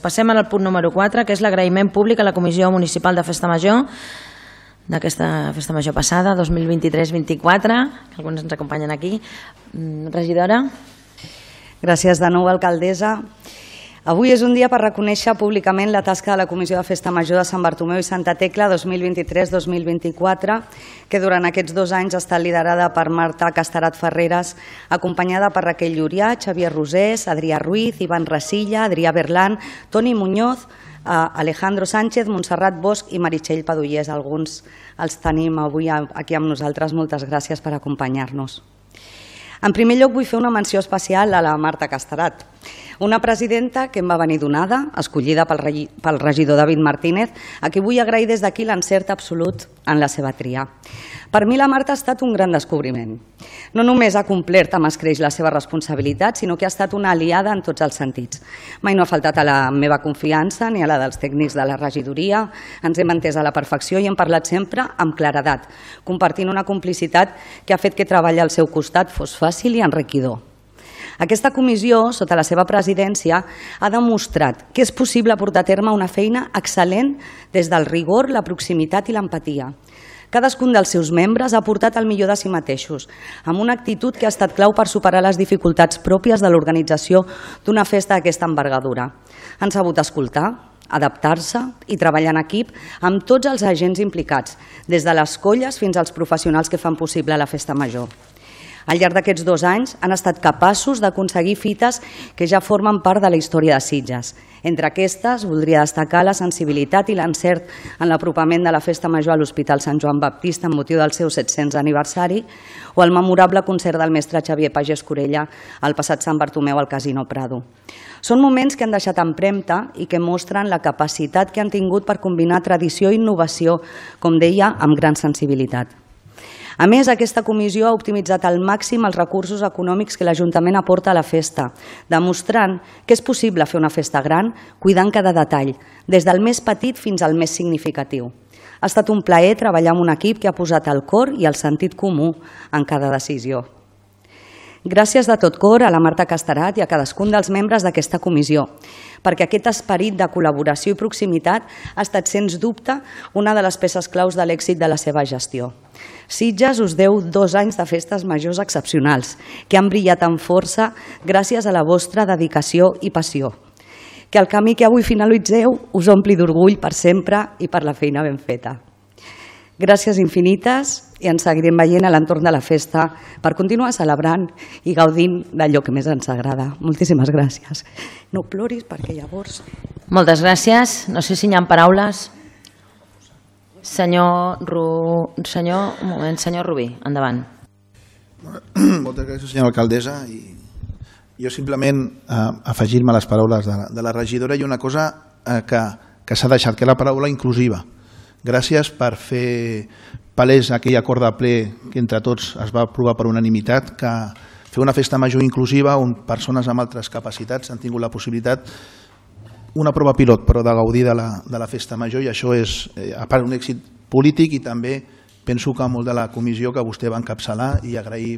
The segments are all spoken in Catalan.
Passem al punt número 4, que és l'agraïment públic a la Comissió Municipal de Festa Major d'aquesta Festa Major passada, 2023-24, que alguns ens acompanyen aquí. Regidora. Gràcies de nou, alcaldessa. Avui és un dia per reconèixer públicament la tasca de la Comissió de Festa Major de Sant Bartomeu i Santa Tecla 2023-2024, que durant aquests 2 anys ha estat liderada per Marta Casterat Ferreres, acompanyada per Raquel Llurià, Xavier Rosés, Adrià Ruiz, Ivan Rasilla, Adrià Berlan, Toni Muñoz, Alejandro Sánchez, Montserrat Bosch i Meritxell Padullés. Alguns els tenim avui aquí amb nosaltres. Moltes gràcies per acompanyar-nos. En primer lloc, vull fer una menció especial a la Marta Casterat, una presidenta que em va venir donada, escollida pel regidor David Martínez, a qui vull agrair des d'aquí l'encert absolut en la seva tria. Per mi la Marta ha estat un gran descobriment. No només ha complert amb escreix la seva responsabilitat, sinó que ha estat una aliada en tots els sentits. Mai no ha faltat a la meva confiança ni a la dels tècnics de la regidoria. Ens hem entès a la perfecció i hem parlat sempre amb claredat, compartint una complicitat que ha fet que treballar al seu costat fos fàcil i enriquidor. Aquesta comissió, sota la seva presidència, ha demostrat que és possible portar a terme una feina excel·lent des del rigor, la proximitat i l'empatia. Cadascun dels seus membres ha aportat el millor de si mateixos, amb una actitud que ha estat clau per superar les dificultats pròpies de l'organització d'una festa d'aquesta envergadura. Han sabut escoltar, adaptar-se i treballar en equip amb tots els agents implicats, des de les colles fins als professionals que fan possible la festa major. Al llarg d'aquests 2 anys han estat capaços d'aconseguir fites que ja formen part de la història de Sitges. Entre aquestes, voldria destacar la sensibilitat i l'encert en l'apropament de la Festa Major a l'Hospital Sant Joan Baptista amb motiu del seu 700 aniversari o el memorable concert del mestre Xavier Pagès Corella al passat Sant Bartomeu al Casino Prado. Són moments que han deixat empremta i que mostren la capacitat que han tingut per combinar tradició i innovació, com deia, amb gran sensibilitat. A més, aquesta comissió ha optimitzat al màxim els recursos econòmics que l'Ajuntament aporta a la festa, demostrant que és possible fer una festa gran cuidant cada detall, des del més petit fins al més significatiu. Ha estat un plaer treballar amb un equip que ha posat el cor i el sentit comú en cada decisió. Gràcies de tot cor a la Marta Casterat i a cadascun dels membres d'aquesta comissió, perquè aquest esperit de col·laboració i proximitat ha estat, sens dubte, una de les peces claus de l'èxit de la seva gestió. Sitges us deu 2 anys de festes majors excepcionals, que han brillat amb força gràcies a la vostra dedicació i passió. Que el camí que avui finalitzeu us ompli d'orgull per sempre i per la feina ben feta. Gràcies infinites i ens seguirem veient a l'entorn de la festa per continuar celebrant i gaudint d'allò que més ens agrada. Moltíssimes gràcies. No ploris perquè llavors... Moltes gràcies. No sé si hi ha paraules. Senyor Rubí, endavant. Moltes gràcies, senyora alcaldessa. Jo simplement afegir-me a les paraules de la regidora i una cosa que s'ha deixat, que és la paraula inclusiva. Gràcies per fer palès aquell acord de ple que entre tots es va aprovar per unanimitat, que fer una festa major inclusiva on persones amb altres capacitats han tingut la possibilitat, una prova pilot, però de gaudir de la festa major, i això és, a part, un èxit polític i també penso que molt de la comissió que vostè va encapçalar i agrair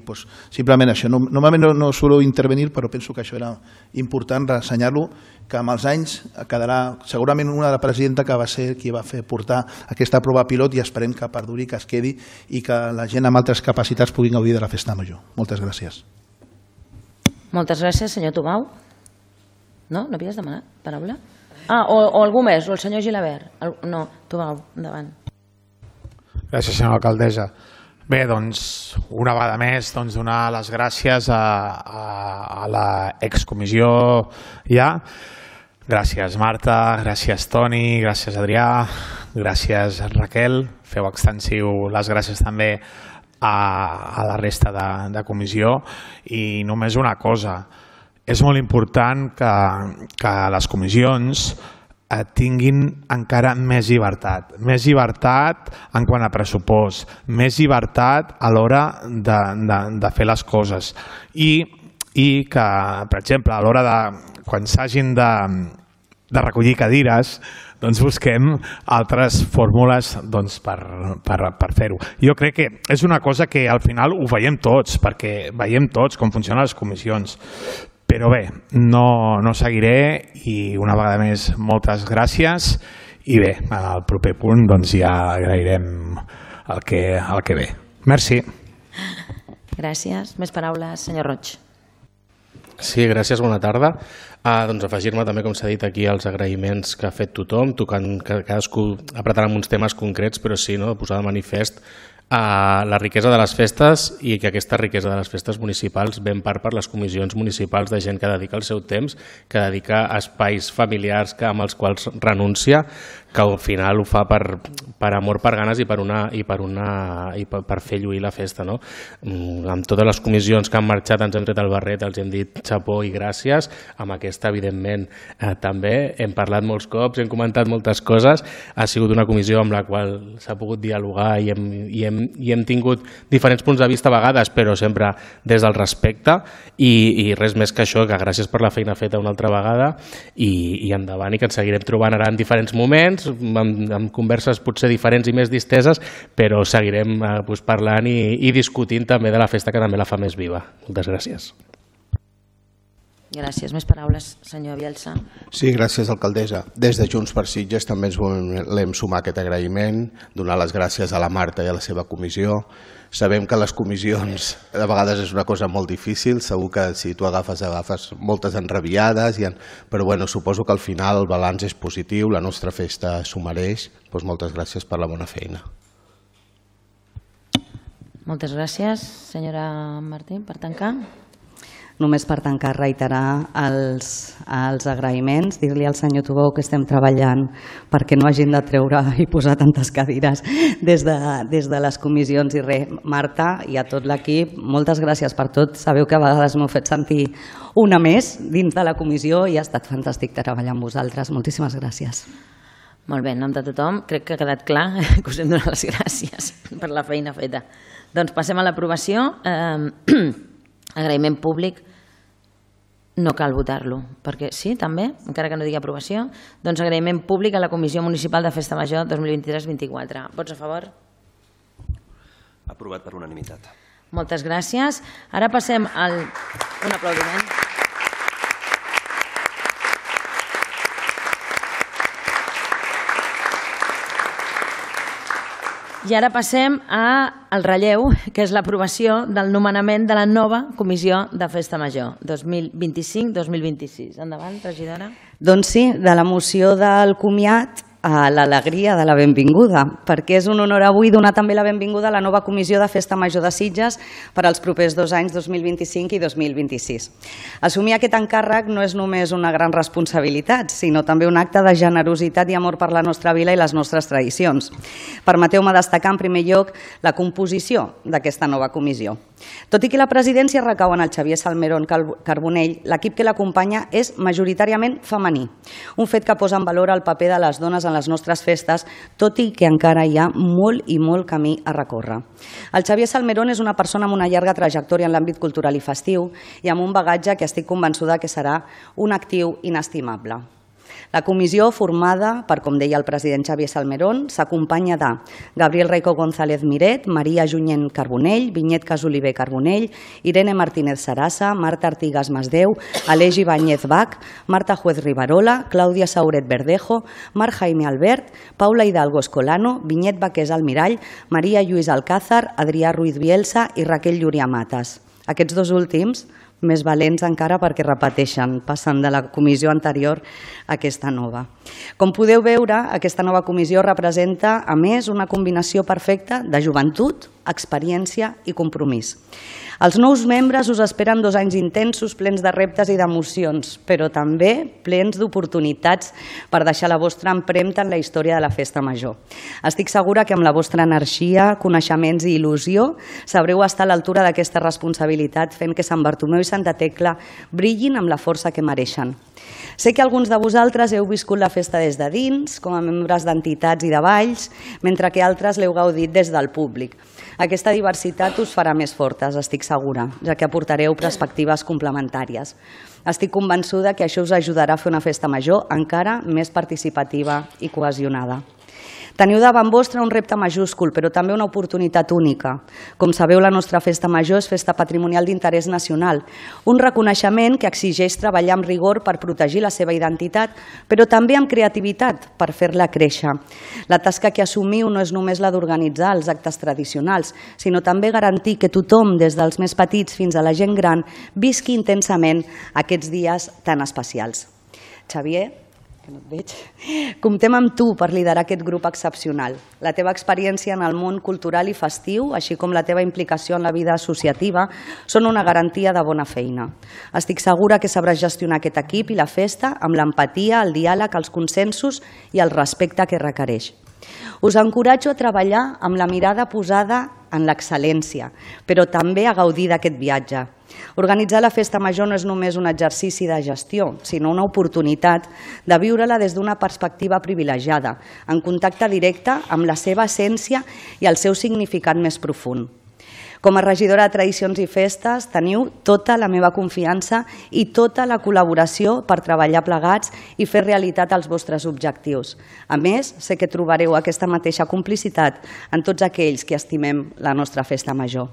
simplement això. Normalment no suelo intervenir, però penso que això era important ressenyar-lo, que amb els anys quedarà segurament una presidenta que va ser qui va fer portar aquesta prova pilot i esperem que perduri, que es quedi i que la gent amb altres capacitats puguin gaudir de la festa major. Moltes gràcies. Moltes gràcies, senyor Tomau. No? No havies demanat paraula? O algú més, o el senyor Gilabert. No, Tomau, endavant. Gràcies, senyora alcaldessa. Bé, doncs, una vegada més, donar les gràcies a l'excomissió ja. Gràcies, Marta, gràcies, Toni, gràcies, Adrià, gràcies, Raquel. Feu extensiu les gràcies també a la resta de comissió. I només una cosa, és molt important que les comissions tinguin encara més llibertat en quant a pressupost, més llibertat a l'hora de fer les coses i que, per exemple, a l'hora de quan s'hagin de recollir cadires, doncs busquem altres fórmules per fer-ho. Jo crec que és una cosa que al final ho veiem tots, perquè veiem tots com funcionen les comissions. Però bé, no seguiré i una vegada més moltes gràcies i bé, al proper punt doncs ja agrairem el que ve. Merci. Gràcies. Més paraules, senyor Roig. Sí, gràcies, bona tarda. Doncs afegir-me també, com s'ha dit aquí, els agraïments que ha fet tothom, tocant cadascú apretant amb uns temes concrets, però sí, posar de manifest la riquesa de les festes i que aquesta riquesa de les festes municipals ve en part per les comissions municipals de gent que dedica el seu temps, que dedica a espais familiars amb els quals renuncia, que al final ho fa per amor, per ganes i per fer lluir la festa. Amb totes les comissions que han marxat ens hem tret el barret, els hem dit xapó i gràcies. Amb aquesta, evidentment, també hem parlat molts cops, hem comentat moltes coses. Ha sigut una comissió amb la qual s'ha pogut dialogar i hem tingut diferents punts de vista a vegades, però sempre des del respecte i res més que això, que gràcies per la feina feta una altra vegada i endavant, i que ens seguirem trobant ara en diferents moments, amb converses potser diferents i més disteses, però seguirem parlant i discutint també de la festa, que també la fa més viva. Moltes gràcies. Gràcies. Més paraules, senyor Bielsa. Sí, gràcies, alcaldessa. Des de Junts per Sitges també ens volem sumar aquest agraïment, donar les gràcies a la Marta i a la seva comissió. Sabem que les comissions de vegades és una cosa molt difícil, segur que si tu agafes moltes enrabiades, però bueno, suposo que al final el balanç és positiu, la nostra festa s'ho mereix. Doncs moltes gràcies per la bona feina. Moltes gràcies, senyora Martín, per tancar. Només per tancar, reiterar els agraïments, dir-li al senyor Tubou que estem treballant perquè no hagin de treure i posar tantes cadires des de les comissions. I res, Marta i a tot l'equip, moltes gràcies per tot. Sabeu que a vegades m'heu fet sentir una més dins de la comissió i ha estat fantàstic treballar amb vosaltres. Moltíssimes gràcies. Molt bé, en nom de tothom, crec que ha quedat clar que us hem donat les gràcies per la feina feta. Doncs passem a l'aprovació. Agraïment públic, no cal votar-lo, perquè sí, també, encara que no digui aprovació. Doncs agraïment públic a la Comissió Municipal de Festa Major 2023-24. Vots a favor? Aprovat per unanimitat. Moltes gràcies. Ara passem un aplaudiment. I ara passem al relleu, que és l'aprovació del nomenament de la nova Comissió de Festa Major 2025-2026. Endavant, regidora. Doncs sí, de la moció del comiat a l'alegria de la benvinguda, perquè és un honor avui donar també la benvinguda a la nova Comissió de Festa Major de Sitges per als propers 2 anys, 2025 i 2026. Assumir aquest encàrrec no és només una gran responsabilitat, sinó també un acte de generositat i amor per la nostra vila i les nostres tradicions. Permeteu-me destacar en primer lloc la composició d'aquesta nova comissió. Tot i que la presidència recau en el Xavier Salmerón Carbonell, l'equip que l'acompanya és majoritàriament femení, un fet que posa en valor el paper de les dones en les nostres festes, tot i que encara hi ha molt i molt camí a recórrer. El Xavier Salmerón és una persona amb una llarga trajectòria en l'àmbit cultural i festiu i amb un bagatge que estic convençuda que serà un actiu inestimable. La comissió, formada per, com deia el president Xavier Salmerón, s'acompanya de Gabriel Raico González Miret, Maria Junyent Carbonell, Vinyet Casoliver Carbonell, Irene Martínez Sarasa, Marta Artigas Masdeu, Aleix Ibáñez Bach, Marta Juez Rivarola, Clàudia Sauret Verdejo, Marc Jaime Albert, Paula Hidalgo Escolano, Vinyet Baqués Almirall, Maria Lluís Alcázar, Adrià Ruiz Bielsa i Raquel Llúria Matas. Aquests dos últims més valents encara perquè repeteixen, passen de la comissió anterior a aquesta nova. Com podeu veure, aquesta nova comissió representa, a més, una combinació perfecta de joventut, experiència i compromís. Els nous membres us esperen 2 anys intensos, plens de reptes i d'emocions, però també plens d'oportunitats per deixar la vostra empremta en la història de la Festa Major. Estic segura que amb la vostra energia, coneixements i il·lusió sabreu estar a l'altura d'aquesta responsabilitat, fent que Sant Bartomeu i Santa Tecla brillin amb la força que mereixen. Sé que alguns de vosaltres heu viscut la festa des de dins, com a membres d'entitats i de balls, mentre que altres l'heu gaudit des del públic. Aquesta diversitat us farà més fortes, estic segura, ja que aportareu perspectives complementàries. Estic convençuda que això us ajudarà a fer una festa major encara més participativa i cohesionada. Teniu davant vostre un repte majúscul, però també una oportunitat única. Com sabeu, la nostra festa major és festa patrimonial d'interès nacional, un reconeixement que exigeix treballar amb rigor per protegir la seva identitat, però també amb creativitat per fer-la créixer. La tasca que assumiu no és només la d'organitzar els actes tradicionals, sinó també garantir que tothom, des dels més petits fins a la gent gran, visqui intensament aquests dies tan especials. Xavier, que no et veig, comptem amb tu per liderar aquest grup excepcional. La teva experiència en el món cultural i festiu, així com la teva implicació en la vida associativa, són una garantia de bona feina. Estic segura que sabràs gestionar aquest equip i la festa amb l'empatia, el diàleg, els consensos i el respecte que requereix. Us encoratjo a treballar amb la mirada posada en l'excel·lència, però també a gaudir d'aquest viatge. Organitzar la festa major no és només un exercici de gestió, sinó una oportunitat de viure-la des d'una perspectiva privilegiada, en contacte directe amb la seva essència i el seu significat més profund. Com a regidora de Tradicions i Festes teniu tota la meva confiança i tota la col·laboració per treballar plegats i fer realitat els vostres objectius. A més, sé que trobareu aquesta mateixa complicitat en tots aquells que estimem la nostra festa major.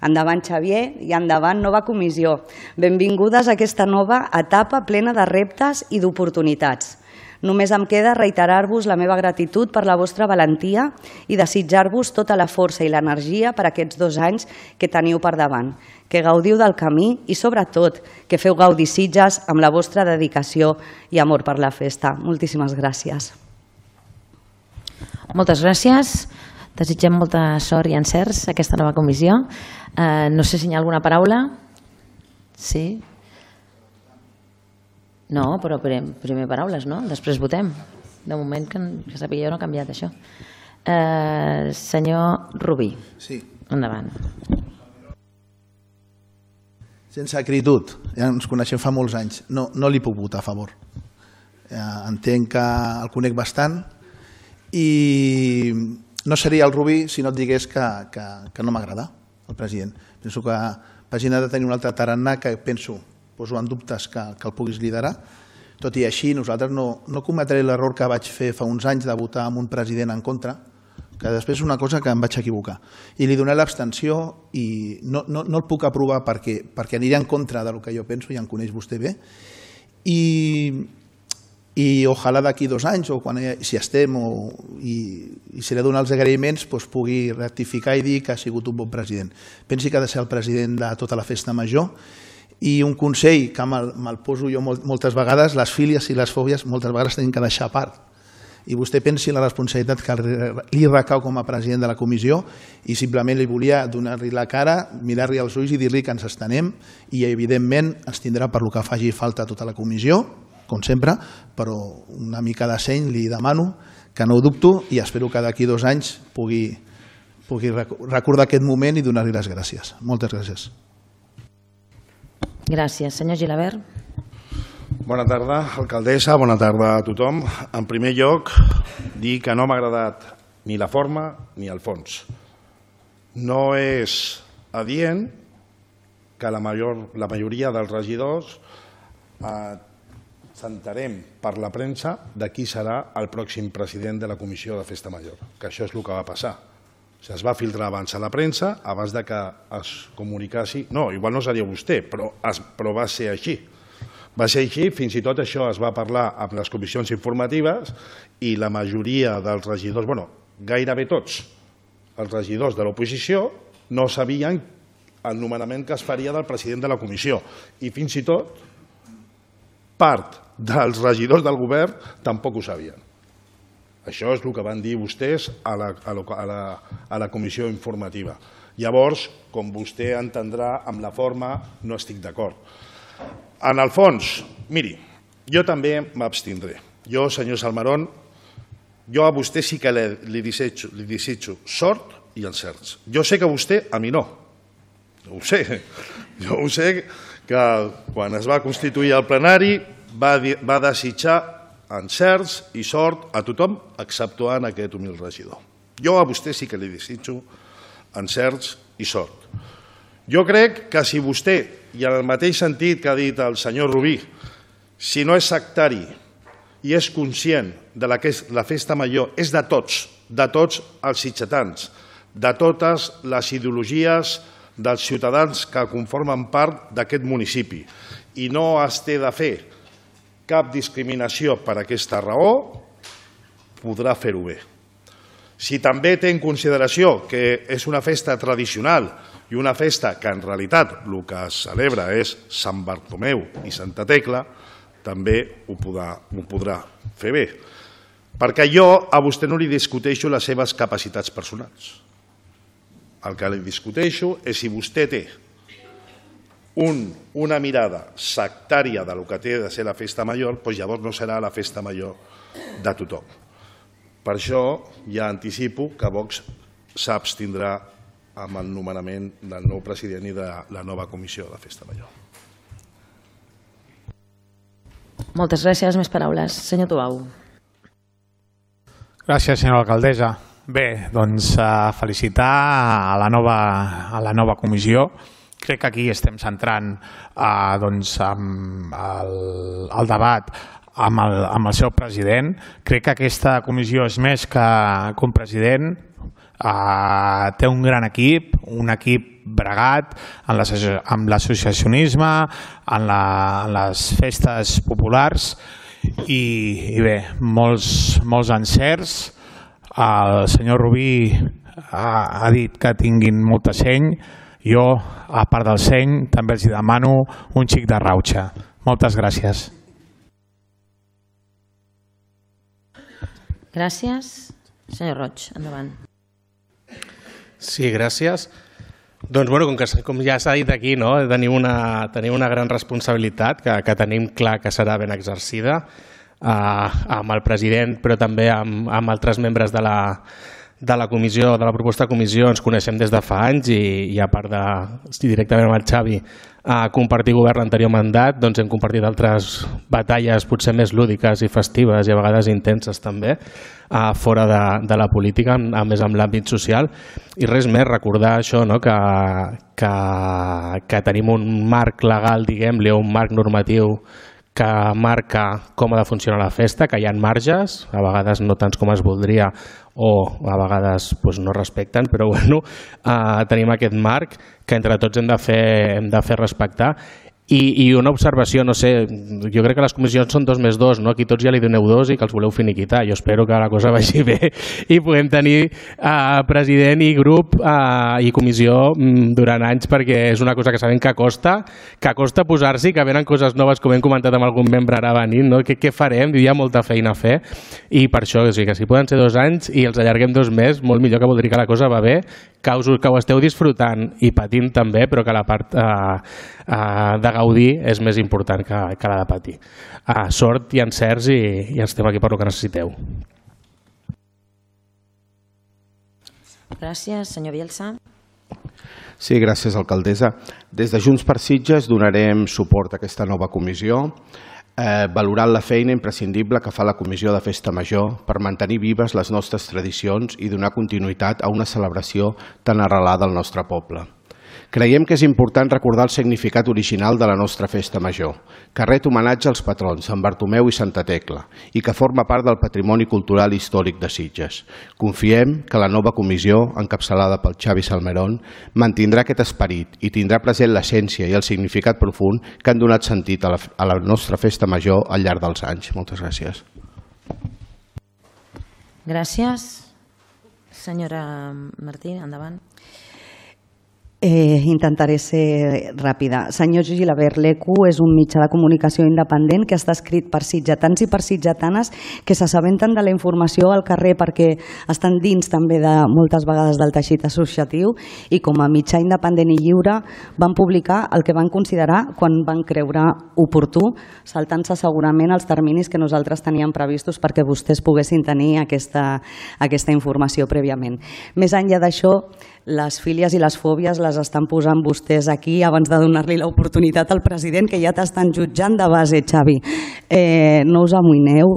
Endavant, Xavier, i endavant, nova comissió. Benvingudes a aquesta nova etapa plena de reptes i d'oportunitats. Només em queda reiterar-vos la meva gratitud per la vostra valentia i desitjar-vos tota la força i l'energia per aquests 2 anys que teniu per davant. Que gaudiu del camí i, sobretot, que feu gaudir Sitges amb la vostra dedicació i amor per la festa. Moltíssimes gràcies. Moltes gràcies. Desitgem molta sort i encerts a aquesta nova comissió. No sé si hi ha alguna paraula. Sí? No, però primer paraules, no? Després votem. De moment, que sàpiga jo, no ha canviat això. Senyor Rubí. Sí. Endavant. Sense acritud, ja ens coneixem fa molts anys, no li puc votar a favor. Entenc que el conec bastant i no seria el Rubí si no et digués que no m'agrada el president. Penso que Pagina ha de tenir un altre tarannà que poso en dubtes que el puguis liderar. Tot i així, nosaltres no cometré l'error que vaig fer fa uns anys de votar amb un president en contra, que després és una cosa que em vaig equivocar. I li doné l'abstenció i no el puc aprovar perquè aniré en contra del que jo penso, ja em coneix vostè bé. I ojalà d'aquí 2 anys, o si estem, i si li dono els agraïments, pugui rectificar i dir que ha sigut un bon president. Pensi que ha de ser el president de tota la festa major. I un consell que me'l poso jo moltes vegades, les fílies i les fòbies moltes vegades tenim que deixar a part. I vostè pensi en la responsabilitat que li recau com a president de la comissió i simplement li volia donar-li la cara, mirar-li als ulls i dir-li que ens estenem i evidentment ens tindrà per lo que faci falta tota la comissió, com sempre, però una mica de seny li demano, que no ho dubto i espero que d'aquí 2 anys pugui recordar aquest moment i donar-li les gràcies. Moltes gràcies. Gràcies. Senyor Gilabert. Bona tarda, alcaldessa, bona tarda a tothom. En primer lloc, dir que no m'ha agradat ni la forma ni el fons. No és adient que la majoria dels regidors s'enterem per la premsa de qui serà el pròxim president de la Comissió de Festa Major, que això és el que va passar. Es va filtrar abans a la premsa, abans que es comunicassi. No, igual no seria vostè, però va ser així. Va ser així, fins i tot això es va parlar amb les comissions informatives i la majoria dels regidors, gairebé tots els regidors de l'oposició no sabien el nomenament que es faria del president de la comissió i fins i tot part dels regidors del govern tampoc ho sabien. Això és el que van dir vostès a la comissió informativa. Llavors, com vostè entendrà, amb la forma no estic d'acord. En el fons, miri, jo també m'abstindré. Jo, senyor Salmerón, jo a vostè sí que li desitjo sort i encerts. Jo sé que vostè, a mi no. Ho sé. Jo ho sé que quan es va constituir el plenari va desitjar encerts i sort a tothom, exceptuant aquest humil regidor. Jo a vostè sí que li desitjo encerts i sort. Jo crec que si vostè, i en el mateix sentit que ha dit el senyor Rubí, si no és sectari, i és conscient de que la festa major és de tots els sitgetans, de totes les ideologies dels ciutadans que conformen part d'aquest municipi, i no es té de fer cap discriminació per aquesta raó, podrà fer-ho bé. Si també té en consideració que és una festa tradicional i una festa que en realitat el que es celebra és Sant Bartomeu i Santa Tecla, també ho podrà fer bé. Perquè jo a vostè no li discuteixo les seves capacitats personals. El que li discuteixo és si vostè té una mirada sectària del que té de ser la festa major, doncs llavors no serà la festa major de tothom. Per això ja anticipo que Vox s'abstindrà amb el nomenament del nou president i de la nova comissió de la festa major. Moltes gràcies. Més paraules. Senyor Tubau. Gràcies, senyora alcaldessa. Bé, doncs felicitar a la nova comissió. Crec que aquí estem centrant el debat amb el seu president. Crec que aquesta comissió és més que un president. Té un gran equip, un equip bregat amb l'associacionisme, en les festes populars i bé, molts encerts. El senyor Rubí ha dit que tinguin molta seny. Jo, a part del seny, també els demano un xic de rauxa. Moltes gràcies. Gràcies. Senyor Roig, endavant. Sí, gràcies. Doncs, com ja s'ha dit aquí, tenim una gran responsabilitat que tenim clar que serà ben exercida amb el president, però també amb altres membres de la comissió, de la proposta de comissió. Ens coneixem des de fa anys i a part de directament amb el Xavi compartir govern l'anterior mandat, doncs hem compartit altres batalles potser més lúdiques i festives i a vegades intenses també fora de la política, més amb l'àmbit social. I res més, recordar això, que tenim un marc legal, diguem-li, un marc normatiu que marca com ha de funcionar la festa, que hi ha marges, a vegades no tants com es voldria o a vegades no respecten, però tenim aquest marc que entre tots hem de fer respectar. I una observació, no sé, jo crec que les comissions són 2 més 2, aquí tots ja li doneu 2 i que els voleu finiquitar. Jo espero que la cosa vagi bé i puguem tenir president i grup i comissió durant anys, perquè és una cosa que sabem que costa posar-s'hi, que venen coses noves, com hem comentat amb algun membre ara venint, què farem? Hi ha molta feina a fer i per això, que si poden ser 2 anys i els allarguem 2 més, molt millor, que vol dir que la cosa va bé, que ho esteu disfrutant i patint també, però que la part de gaudir és més important que la de patir. Sort i encerts i estem aquí per el que necessiteu. Gràcies. Senyor Bielsa. Sí, gràcies, alcaldessa. Des de Junts per Sitges donarem suport a aquesta nova comissió, valorant la feina imprescindible que fa la Comissió de Festa Major per mantenir vives les nostres tradicions i donar continuïtat a una celebració tan arrelada al nostre poble. Creiem que és important recordar el significat original de la nostra festa major, que ret homenatge als patrons Sant Bartomeu i Santa Tecla i que forma part del patrimoni cultural i històric de Sitges. Confiem que la nova comissió, encapçalada pel Xavi Salmerón, mantindrà aquest esperit i tindrà present l'essència i el significat profund que han donat sentit a la nostra festa major al llarg dels anys. Moltes gràcies. Gràcies. Senyora Martí, endavant. Intentaré ser ràpida. Senyor Gilabert, l'ECU és un mitjà de comunicació independent que està escrit per sitgetans i per sitgetanes que s'assabenten de la informació al carrer perquè estan dins també de moltes vegades del teixit associatiu i com a mitjà independent i lliure van publicar el que van considerar quan van creure oportú, saltant-se segurament els terminis que nosaltres teníem previstos perquè vostès poguessin tenir aquesta informació prèviament. Més enllà d'això, les fílies i les fòbies les les estan posant vostès aquí abans de donar-li l'oportunitat al president, que ja t'estan jutjant de base, Xavi. No us amoïneu,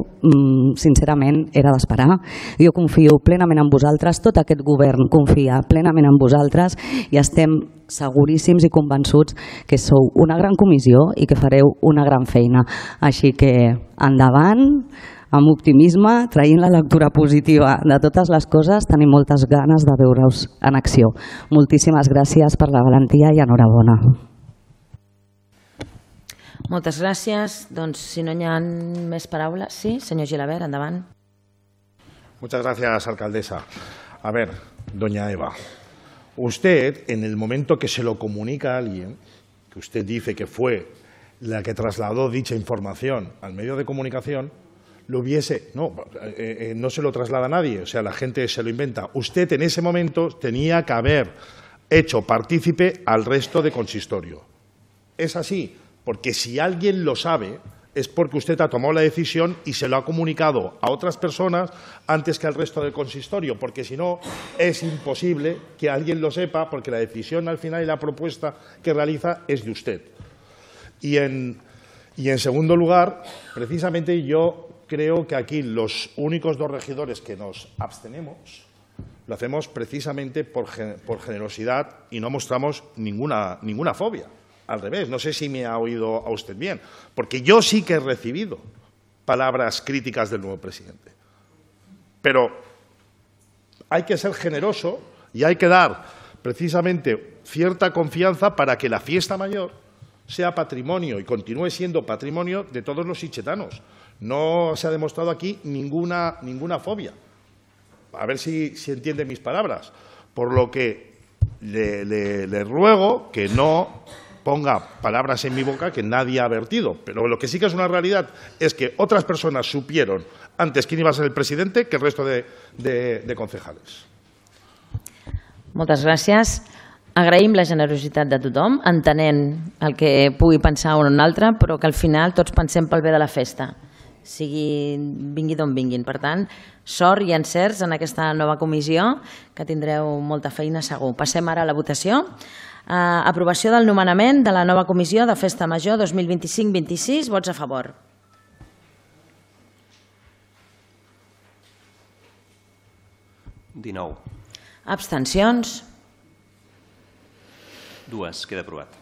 sincerament, era d'esperar. Jo confio plenament en vosaltres, tot aquest govern confia plenament en vosaltres i estem seguríssims i convençuts que sou una gran comissió i que fareu una gran feina. Així que endavant, amb optimisme, traient la lectura positiva de totes les coses, tenim moltes ganes de veure-us en acció. Moltíssimes gràcies per la valentia i enhorabona. Moltes gràcies. Doncs, si no hi ha més paraules... Sí, senyor Gilabert, endavant. Muchas gracias, alcaldesa. A ver, doña Eva, usted, en el momento que se lo comunica a alguien, que usted dice que fue la que trasladó dicha información al medio de comunicación, no se lo traslada a nadie, o sea, la gente se lo inventa. Usted en ese momento tenía que haber hecho partícipe al resto de consistorio. Es así, porque si alguien lo sabe, es porque usted ha tomado la decisión y se lo ha comunicado a otras personas antes que al resto del consistorio, porque si no es imposible que alguien lo sepa, porque la decisión al final y la propuesta que realiza es de usted. Y en segundo lugar, precisamente yo creo que aquí los únicos dos regidores que nos abstenemos lo hacemos precisamente por generosidad y no mostramos ninguna fobia. Al revés, no sé si me ha oído a usted bien, porque yo sí que he recibido palabras críticas del nuevo presidente. Pero hay que ser generoso y hay que dar precisamente cierta confianza para que la fiesta mayor sea patrimonio y continúe siendo patrimonio de todos los sitgetanos. No se ha demostrado aquí ninguna fobia. A ver si entiende mis palabras. Por lo que le ruego que no ponga palabras en mi boca que nadie ha vertido. Pero lo que sí que es una realidad es que otras personas supieron antes quién iba a ser el presidente que el resto de concejales. Moltes gràcies. Agraïm la generositat de tothom, entenent el que pugui pensar un o un altre, però que al final tots pensem pel bé de la festa, vingui d'on vinguin. Per tant, sort i encerts en aquesta nova comissió, que tindreu molta feina segur. Passem ara a la votació. Aprovació del nomenament de la nova comissió de Festa Major 2025-26. Vots a favor. (19) Abstencions. (2) Queda aprovat.